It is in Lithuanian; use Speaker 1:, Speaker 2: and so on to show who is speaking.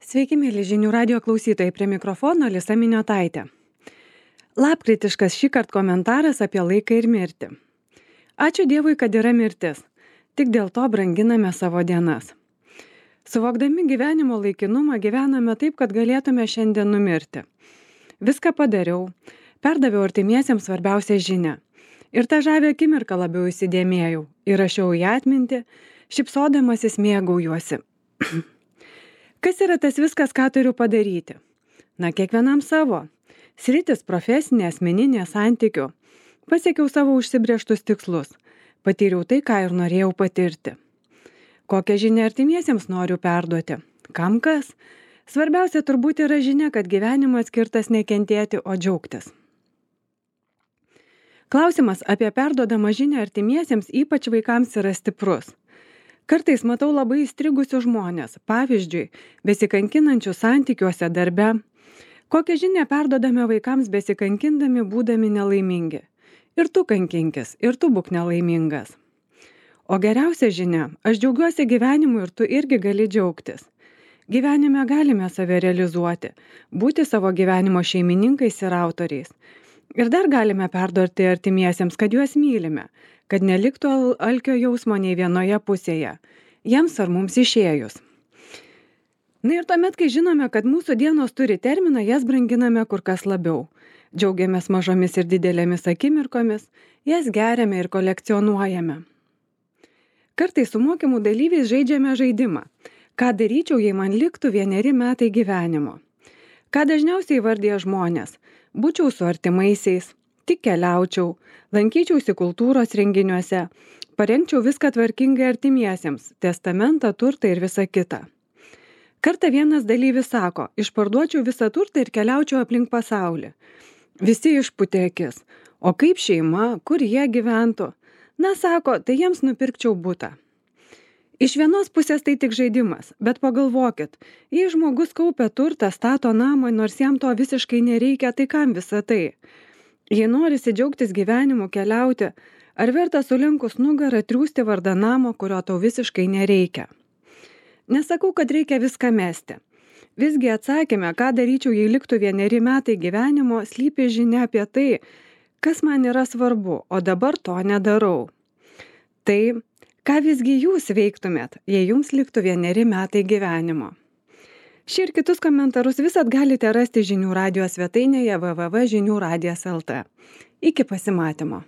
Speaker 1: Sveiki, mėly žinių radio klausytojai, prie mikrofono Lisa Miniotaitė. Lapkritiškas šįkart komentaras apie laiką ir mirtį. Ačiū Dievui, kad yra mirtis. Tik dėl to branginame savo dienas. Suvokdami gyvenimo laikinumą gyvename taip, kad galėtume šiandien numirti. Viską padariau, perdaviau artimiesiems svarbiausią žinią. Ir tą žavę akimirką labiau įsidėmėjau, įrašiau į atmintį, šypsodamasis mėgaujuosi. Kas yra tas viskas, ką turiu padaryti? Na, kiekvienam savo. Sritis profesinė, asmeninė, santykių. Pasiekiau savo užsibrėžtus tikslus. Patyriau tai, ką ir norėjau patirti. Kokią žinią artimiesiems noriu perduoti? Kam kas? Svarbiausia turbūt yra žinia, kad gyvenimas skirtas nekentėti, o džiaugtis. Klausimas apie perduodamą žinią artimiesiems, ypač vaikams, yra stiprus. Kartais matau labai įstrigusius žmonės, pavyzdžiui, besikankinančių santykiuose darbe. Kokią žinią perduodame vaikams besikankindami, būdami nelaimingi? Ir tu kankinkis, ir tu būk nelaimingas. O geriausia žinia, aš džiaugiuosi gyvenimu ir tu irgi gali džiaugtis. Gyvenime galime save realizuoti, būti savo gyvenimo šeimininkais ir autoriais. Ir dar galime perduoti artimiesiems, kad juos mylime, kad neliktų alkio jausmo nei vienoje pusėje, jiems ar mums išėjus. Na ir tuomet, kai žinome, kad mūsų dienos turi terminą, jas branginame kur kas labiau. Džiaugiamės mažomis ir didelėmis akimirkomis, jas geriame ir kolekcionuojame. Kartais su mokymų dalyviais žaidžiame žaidimą. Ką daryčiau, jei man liktų 1 metai gyvenimo? Ką dažniausiai vardija žmonės? Būčiau su artimaisiais, tik keliaučiau, lankyčiausi kultūros renginiuose, parengčiau viską tvarkingai artimiesiems, testamentą, turtą ir visą kitą. Kartą vienas dalyvis sako, išparduočiau visą turtą ir keliaučiau aplink pasaulį. Visi išpūtė akis. O kaip šeima, kur jie gyventų? Na, sako, tai jiems nupirkčiau butą. Iš vienos pusės tai tik žaidimas, bet pagalvokit, jei žmogus kaupia turtą, stato namą, nors jam to visiškai nereikia, tai kam visa tai? Jei norisi džiaugtis gyvenimu, keliauti, ar verta sulenkus nugarą triūsti vardan namo, kurio tau visiškai nereikia? Nesakau, kad reikia viską mesti. Visgi atsakėme, ką daryčiau, jei liktų 1 metai gyvenimo, slypi žinia apie tai, kas man yra svarbu, o dabar to nedarau. Tai ką visgi jūs veiktumėt, jei jums liktų 1 metai gyvenimo? Šį ir kitus komentarus visad galite rasti žinių radijo svetainėje www.žiniuradijas.lt. Iki pasimatymo.